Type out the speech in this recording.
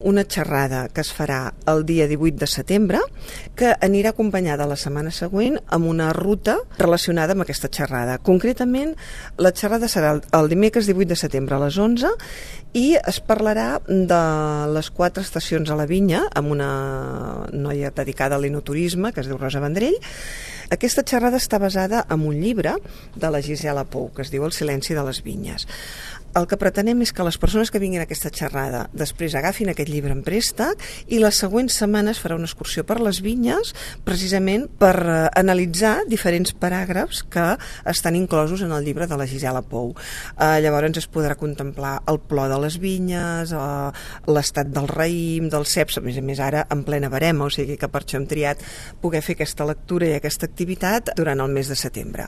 Una xerrada que es farà el dia 18 de setembre, que anirà acompanyada la setmana següent amb una ruta relacionada amb aquesta xerrada. Concretament, la xerrada serà el dimecres 18 de setembre a les 11 i es parlarà de les 4 estacions a la vinya amb una noia dedicada a l'enoturisme que es diu Rosa Vendrell. Aquesta xerrada està basada en un llibre de la Gisela Pou que es diu El silenci de les vinyes. El que pretenem és que les persones que vinguin a aquesta xerrada després agafin aquest llibre en préstec i les següents setmanes farà una excursió per les vinyes precisament per analitzar diferents paràgrafs que estan inclosos en el llibre de la Gisela Pou. Llavors es podrà contemplar el plor de les vinyes, l'estat del raïm, dels ceps, a més ara en plena verema, o sigui que per això hem triat poder fer aquesta lectura i aquesta activitat durant el mes de setembre.